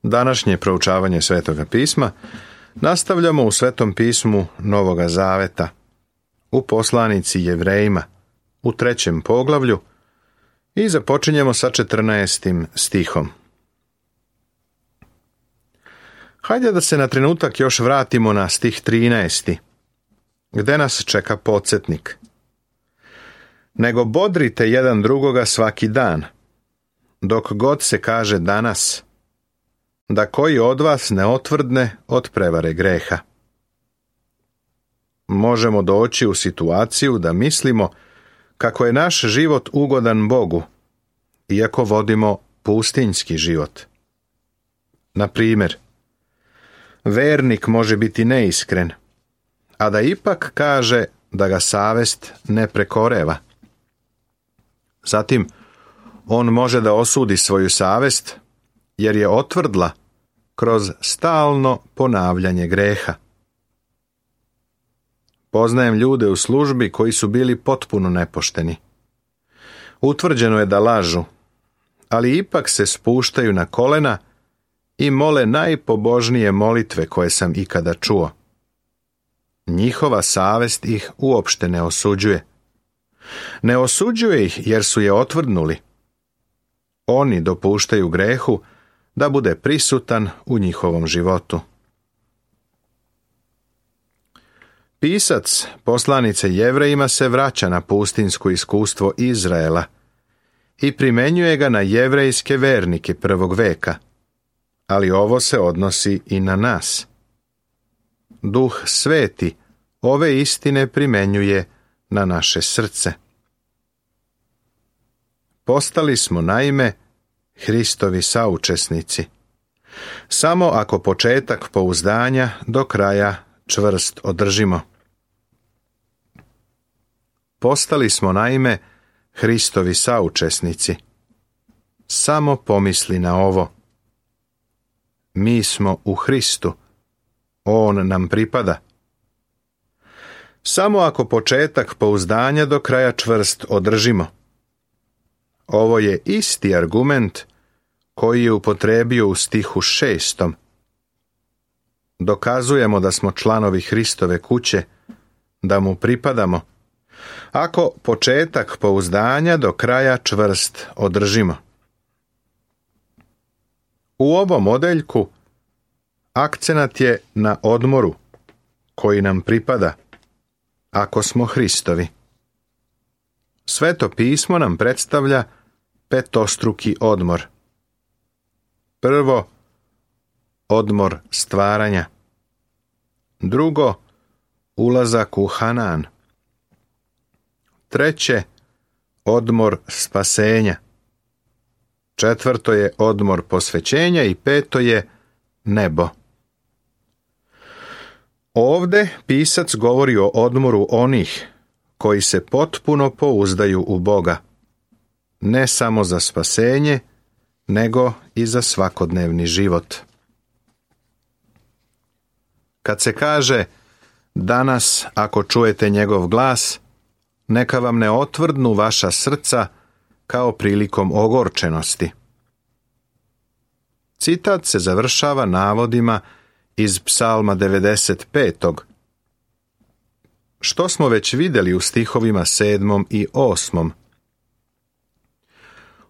Današnje proučavanje Svetoga pisma nastavljamo u Svetom pismu Novoga Zaveta, u poslanici Jevrejima, u 3. poglavlju i započinjemo sa 14. stihom. Hajde da se na trenutak još vratimo na stih 13. gde nas čeka podsjetnik. Nego bodrite jedan drugoga svaki dan, dok god se kaže danas, da koji od vas ne otvrdne od prevare greha. Možemo doći u situaciju da mislimo kako je naš život ugodan Bogu, iako vodimo pustinjski život. Na primjer, vernik može biti neiskren, a da ipak kaže da ga savest ne prekoreva. Zatim, on može da osudi svoju savest, jer je otvrdla kroz stalno ponavljanje greha. Poznajem ljude u službi koji su bili potpuno nepošteni. Utvrđeno je da lažu, ali ipak se spuštaju na kolena i mole najpobožnije molitve koje sam ikada čuo. Njihova savest ih uopšte ne osuđuje. Ne osuđuje ih jer su je otvrdnuli. Oni dopuštaju grehu da bude prisutan u njihovom životu. Pisac poslanice Jevrejima se vraća na pustinjsko iskustvo Izraela i primenjuje ga na jevrejske vernike prvog veka, ali ovo se odnosi i na nas. Duh Sveti ove istine primenjuje na naše srce. Postali smo naime Hristovi saučesnici, samo ako početak pouzdanja do kraja čvrst održimo. Postali smo naime Hristovi saučesnici. Samo pomisli na ovo. Mi smo u Hristu. On nam pripada. Samo ako početak pouzdanja do kraja čvrst održimo. Ovo je isti argument koji je upotrebio u stihu 6. Dokazujemo da smo članovi Hristove kuće, da mu pripadamo, ako početak pouzdanja do kraja čvrst održimo. U ovom odeljku akcenat je na odmoru koji nam pripada, ako smo Hristovi. Sveto pismo nam predstavlja petostruki odmor. Prvo, odmor stvaranja. Drugo, ulazak u Hanan. Treće, odmor spasenja. Četvrto je odmor posvećenja i peto je nebo. Ovde pisac govori o odmoru onih koji se potpuno pouzdaju u Boga, ne samo za spasenje, nego i za svakodnevni život. Kad se kaže, danas ako čujete njegov glas, neka vam ne otvrdnu vaša srca kao prilikom ogorčenosti. Citat se završava navodima iz Psalma 95. Što smo već vidjeli u stihovima 7. i 8.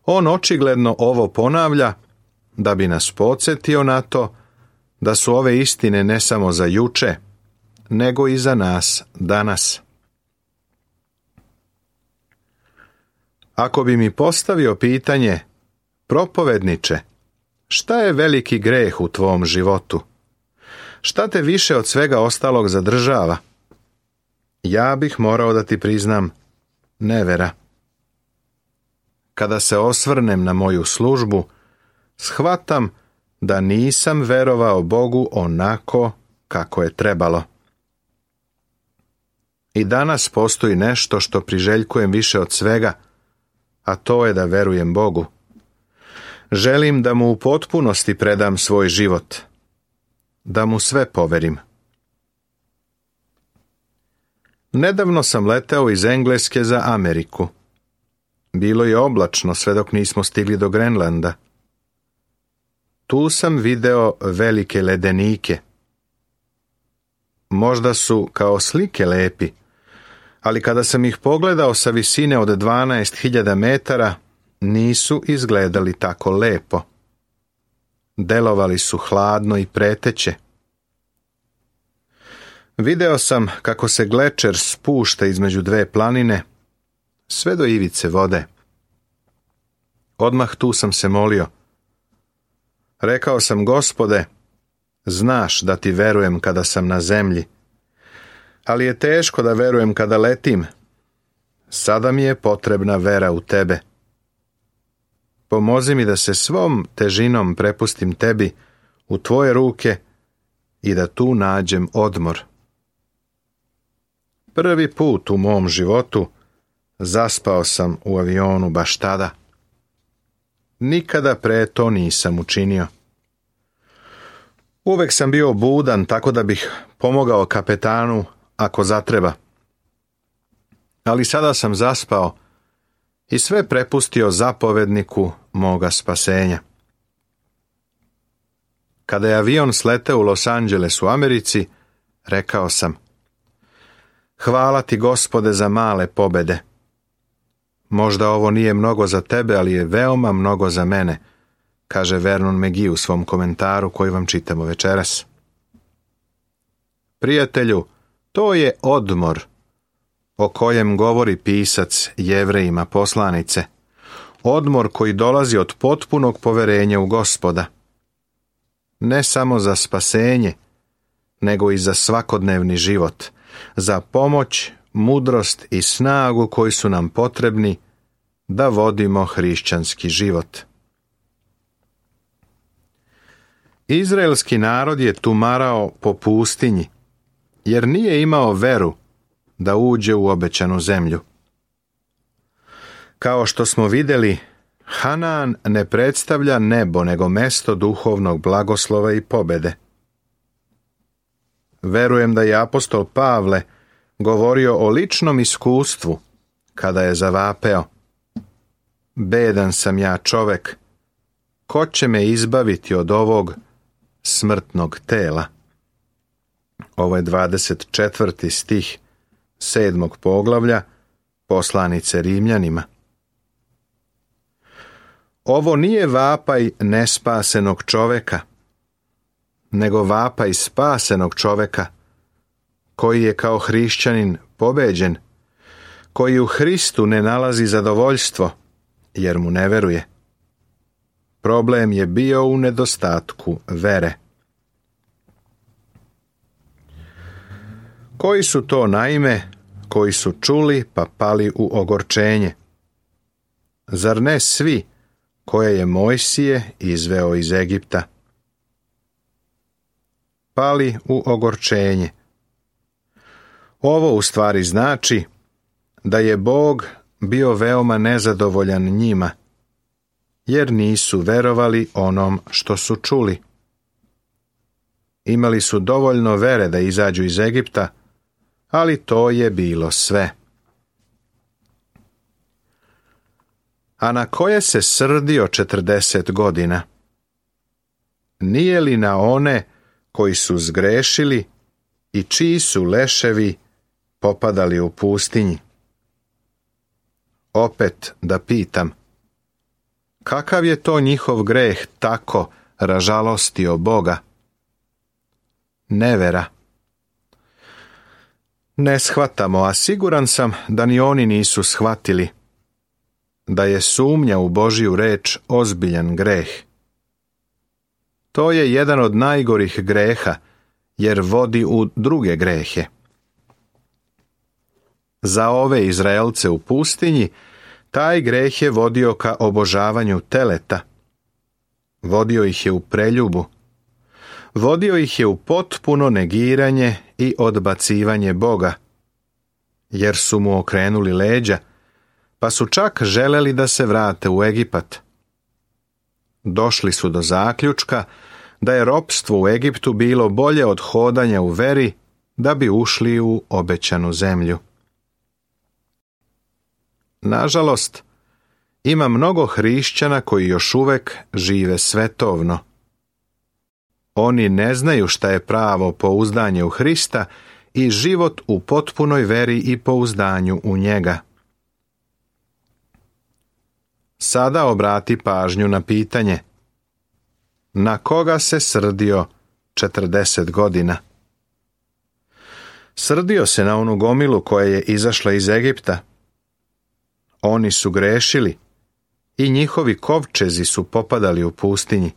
On očigledno ovo ponavlja da bi nas podsjetio na to da su ove istine ne samo za juče, nego i za nas danas. Ako bi mi postavio pitanje, propovedniče, šta je veliki greh u tvom životu? Šta te više od svega ostalog zadržava? Ja bih morao da ti priznam nevera. Kada se osvrnem na moju službu, shvatam da nisam verovao Bogu onako kako je trebalo. I danas postoji nešto što priželjkujem više od svega, a to je da verujem Bogu. Želim da mu u potpunosti predam svoj život, da mu sve poverim. Nedavno sam leteo iz Engleske za Ameriku. Bilo je oblačno sve dok nismo stigli do Grenlanda. tu sam video velike ledenike. Možda su kao slike lepi, ali kada sam ih pogledao sa visine od 12.000 metara, nisu izgledali tako lepo. Delovali su hladno i preteće. Video sam kako se glečer spušta između dve planine, sve do ivice vode. Odmah tu sam se molio. Rekao sam: Gospode, znaš da ti verujem kada sam na zemlji, ali je teško da verujem kada letim. Sada mi je potrebna vera u tebe. Pomozi mi da se svom težinom prepustim tebi u tvoje ruke i da tu nađem odmor. Prvi put u mom životu zaspao sam u avionu baš tada. Nikada pre to nisam učinio. Uvek sam bio budan tako da bih pomogao kapetanu ako zatreba. Ali sada sam zaspao i sve prepustio zapovedniku moga spasenja. Kada je avion sleteo u Los Angeles u Americi, rekao sam: Hvala ti, Gospode, za male pobede. Možda ovo nije mnogo za tebe, ali je veoma mnogo za mene, kaže Vernon McGee u svom komentaru koji vam čitamo večeras. Prijatelju, to je odmor o kojem govori pisac Jevrejima poslanice. Odmor koji dolazi od potpunog poverenja u Gospoda. Ne samo za spasenje, nego i za svakodnevni život, za pomoć, mudrost i snagu koji su nam potrebni da vodimo hrišćanski život. Izraelski narod je tumarao po pustinji, jer nije imao veru da uđe u obećanu zemlju. Kao što smo vidjeli, Hanaan ne predstavlja nebo, nego mesto duhovnog blagoslova i pobede. Verujem da je apostol Pavle govorio o ličnom iskustvu kada je zavapeo: Bedan sam ja čovek, ko će me izbaviti od ovog smrtnog tela? Ovo je 24. stih 7. poglavlja poslanice Rimljanima. Ovo nije vapaj nespasenog čoveka, nego vapaj spasenog čoveka, koji je kao hrišćanin pobeđen, koji u Hristu ne nalazi zadovoljstvo, jer mu ne veruje. Problem je bio u nedostatku vere. Koji su to naime koji su čuli pa pali u ogorčenje? Zar ne svi koje je Mojsije izveo iz Egipta? Pali u ogorčenje. Ovo u stvari znači da je Bog bio veoma nezadovoljan njima, jer nisu verovali onom što su čuli. Imali su dovoljno vere da izađu iz Egipta, ali to je bilo sve. A na koje se srdio 40 godina? Nije li na one koji su zgrešili i čiji su leševi popadali u pustinji? Opet da pitam, kakav je to njihov greh tako ražalostio Boga? Nevera. Ne shvatamo, a siguran sam da ni oni nisu shvatili da je sumnja u Božju reč ozbiljan greh. To je jedan od najgorih greha, jer vodi u druge grehe. Za ove Izraelce u pustinji taj greh je vodio ka obožavanju teleta. Vodio ih je u preljubu. Vodio ih je u potpuno negiranje i odbacivanje Boga, jer su mu okrenuli leđa, pa su čak želeli da se vrate u Egipat. Došli su do zaključka da je ropstvo u Egiptu bilo bolje od hodanja u veri da bi ušli u obećanu zemlju. Nažalost, ima mnogo hrišćana koji još uvek žive svetovno, Oni ne znaju šta je pravo pouzdanje u Hrista i život u potpunoj veri i pouzdanju u njega. Sada obrati pažnju na pitanje: na koga se srdio 40 godina? Srdio se na onu gomilu koja je izašla iz Egipta. Oni su grešili i njihovi kovčezi su popadali u pustinji.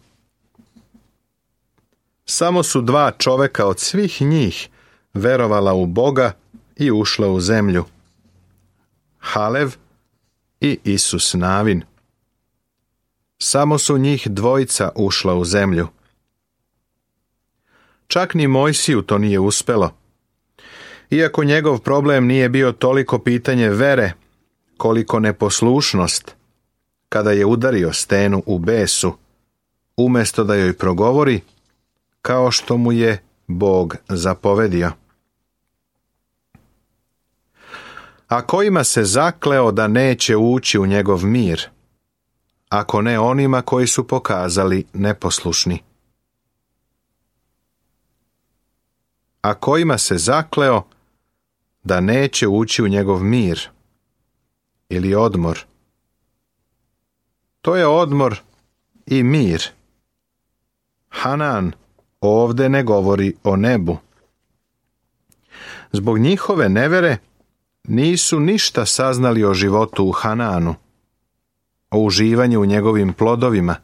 Samo su 2 čoveka od svih njih verovala u Boga i ušla u zemlju: Halev i Isus Navin. Samo su njih 2 ušla u zemlju. Čak ni Mojsiju to nije uspelo. Iako njegov problem nije bio toliko pitanje vere, koliko neposlušnost, kada je udario stenu u besu, umjesto da joj progovori, kao što mu je Bog zapovedio. A kojima se zakleo da neće ući u njegov mir, ako ne onima koji su pokazali neposlušni? A kojima se zakleo da neće ući u njegov mir ili odmor? To je odmor i mir. Hanan ovdje ne govori o nebu. Zbog njihove nevere nisu ništa saznali o životu u Hananu, o uživanju u njegovim plodovima,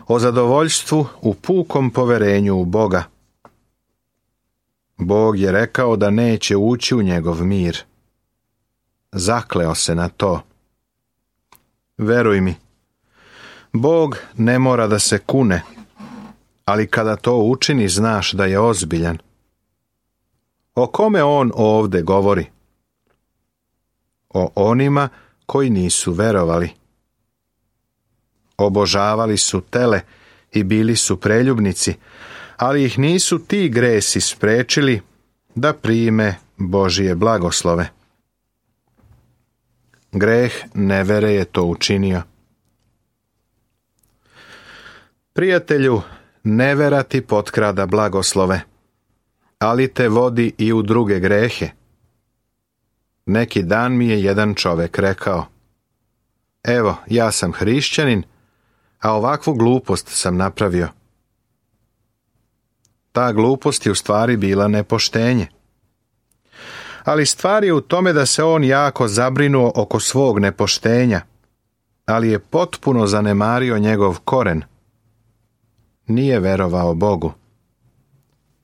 o zadovoljstvu u pukom poverenju u Boga. Bog je rekao da neće ući u njegov mir. Zakleo se na to. Veruj mi, Bog ne mora da se kune, ali kada to učini, znaš da je ozbiljan. O kome on ovdje govori? O onima koji nisu verovali. Obožavali su tele i bili su preljubnici, ali ih nisu ti gresi sprečili da prime Božije blagoslove. Greh nevere je to učinio. Prijatelju, nevera ti potkrada blagoslove, ali te vodi i u druge grehe. Neki dan mi je jedan čovjek rekao: evo, ja sam hrišćanin, a ovakvu glupost sam napravio. Ta glupost je u stvari bila nepoštenje. Ali stvar je u tome da se on jako zabrinuo oko svog nepoštenja, ali je potpuno zanemario njegov koren. Nije verovao Bogu.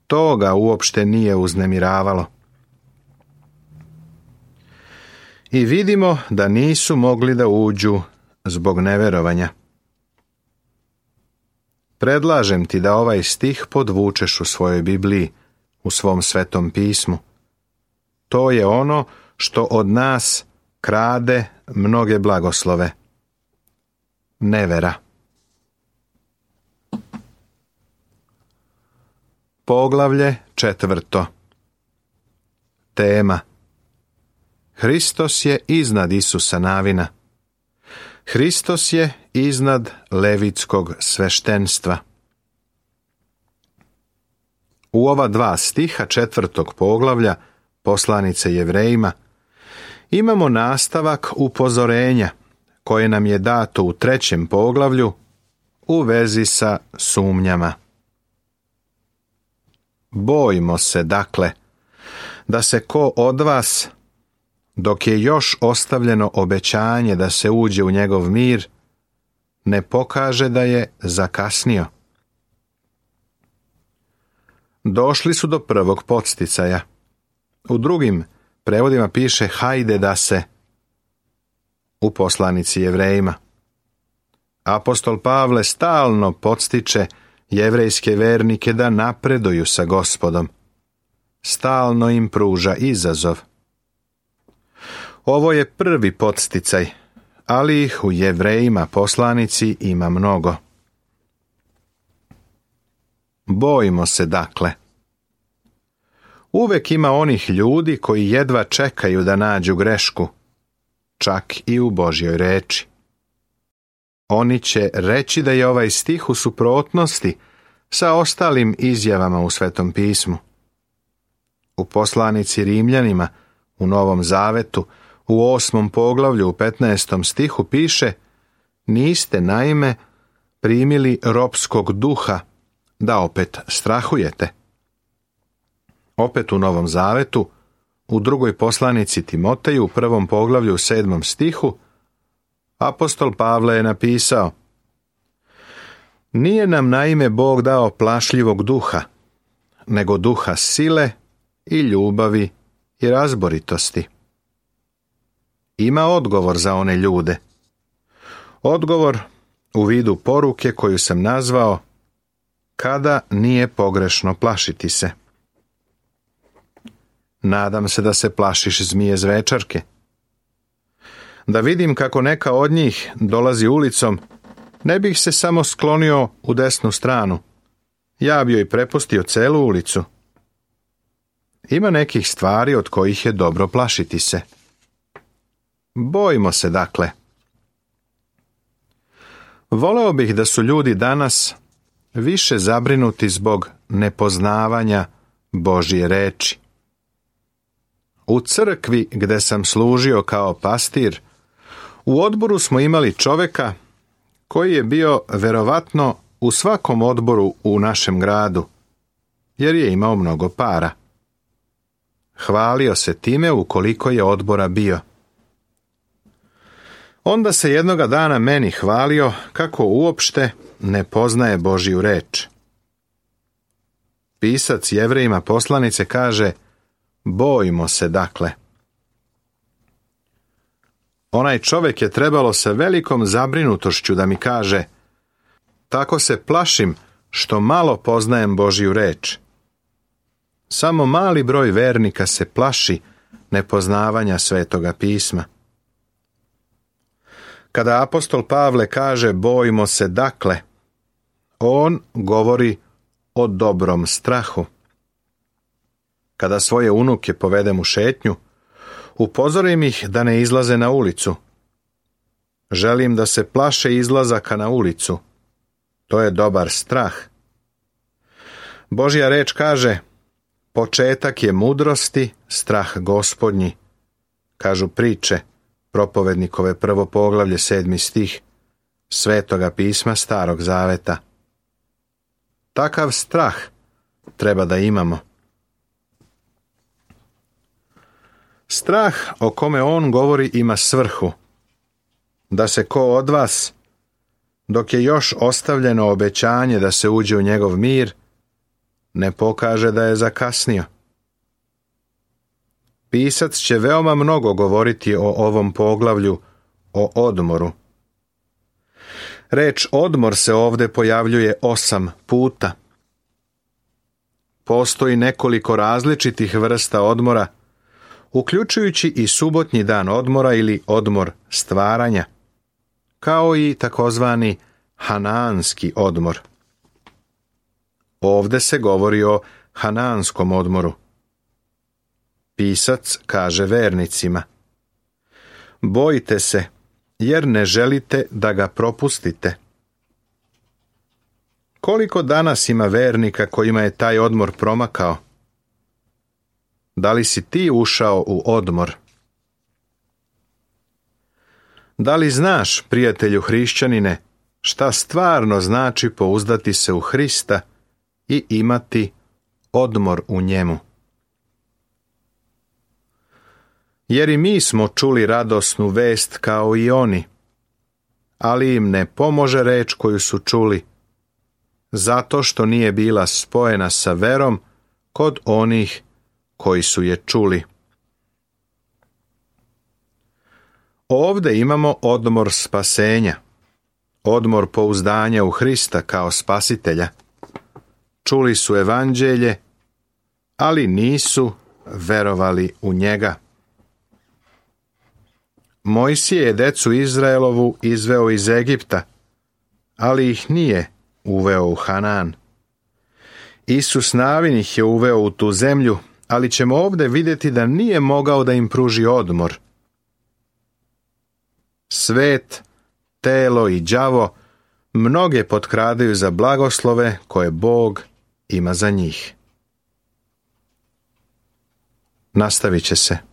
To ga uopšte nije uznemiravalo. I vidimo da nisu mogli da uđu zbog neverovanja. Predlažem ti da ovaj stih podvučeš u svojoj Bibliji, u svom Svetom pismu. To je ono što od nas krade mnoge blagoslove. Nevera. Poglavlje 4. Tema: Hristos je iznad Isusa Navina. Hristos je iznad levitskog sveštenstva. U ova 2 stiha 4. poglavlja poslanice Jevrejima imamo nastavak upozorenja koje nam je dato u 3. poglavlju u vezi sa sumnjama. Bojmo se, dakle, da se ko od vas, dok je još ostavljeno obećanje da se uđe u njegov mir, ne pokaže da je zakasnio. Došli su do prvog podsticaja. U drugim prevodima piše hajde da se. U poslanici Jevrejima. Apostol Pavle stalno podstiče jevrejske vernike da napreduju sa Gospodom. Stalno im pruža izazov. Ovo je prvi podsticaj, ali ih u Jevrejima poslanici ima mnogo. Bojimo se, dakle. Uvek ima onih ljudi koji jedva čekaju da nađu grešku, čak i u Božjoj reči. Oni će reći da je ovaj stih u suprotnosti sa ostalim izjavama u Svetom pismu. U poslanici Rimljanima u Novom Zavetu u 8. poglavlju u 15. stihu piše: niste naime primili ropskog duha da opet strahujete. Opet u Novom Zavetu u 2. poslanici Timoteju u 1. poglavlju u 7. stihu apostol Pavle je napisao: nije nam naime Bog dao plašljivog duha, nego duha sile i ljubavi i razboritosti. Ima odgovor za one ljude. Odgovor u vidu poruke koju sam nazvao: kada nije pogrešno plašiti se. Nadam se da se plašiš zmije zvečarke. Da vidim kako neka od njih dolazi ulicom, ne bih se samo sklonio u desnu stranu. Ja bi joj prepustio celu ulicu. Ima nekih stvari od kojih je dobro plašiti se. Bojimo se, dakle. Voleo bih da su ljudi danas više zabrinuti zbog nepoznavanja Božje reči. U crkvi gde sam služio kao pastir, u odboru smo imali čoveka koji je bio verovatno u svakom odboru u našem gradu, jer je imao mnogo para. Hvalio se time ukoliko je odbora bio. Onda se jednoga dana meni hvalio kako uopšte ne poznaje Božju reč. Pisac Jevrejima poslanice kaže: bojimo se, dakle. Onaj čovjek je trebalo sa velikom zabrinutošću da mi kaže: tako se plašim što malo poznajem Božju reč. Samo mali broj vernika se plaši nepoznavanja Svetoga pisma. Kada apostol Pavle kaže bojimo se, dakle, on govori o dobrom strahu. Kada svoje unuke povedem u šetnju, upozorim ih da ne izlaze na ulicu. Želim da se plaše izlazaka na ulicu. To je dobar strah. Božja reč kaže: početak je mudrosti strah Gospodnji. Kažu priče, propovednikove 1. poglavlje 7. stih Svetoga pisma Starog Zaveta. Takav strah treba da imamo. Strah o kome on govori ima svrhu: da se ko od vas, dok je još ostavljeno obećanje da se uđe u njegov mir, ne pokaže da je zakasnio. Pisac će veoma mnogo govoriti o ovom poglavlju, o odmoru. Reč odmor se ovdje pojavljuje 8 puta. Postoji nekoliko različitih vrsta odmora, uključujući i subotnji dan odmora ili odmor stvaranja, kao i takozvani hanaanski odmor. Ovdje se govori o hanaanskom odmoru. Pisac kaže vernicima: bojite se, jer ne želite da ga propustite. Koliko danas ima vernika kojima je taj odmor promakao? Da li si ti ušao u odmor? Da li znaš, prijatelju hrišćanine, šta stvarno znači pouzdati se u Hrista i imati odmor u njemu? Jer i mi smo čuli radosnu vest kao i oni, ali im ne pomože reč koju su čuli, zato što nije bila spojena sa verom kod onih koji su je čuli. Ovdje imamo odmor spasenja, odmor pouzdanja u Hrista kao spasitelja. Čuli su evanđelje, ali nisu verovali u njega. Mojsije je decu Izraelovu izveo iz Egipta, ali ih nije uveo u Hanaan. Isus Navin ih je uveo u tu zemlju, ali ćemo ovdje vidjeti da nije mogao da im pruži odmor. Svet, telo i đavo mnoge potkradaju za blagoslove koje Bog ima za njih. Nastavit će se.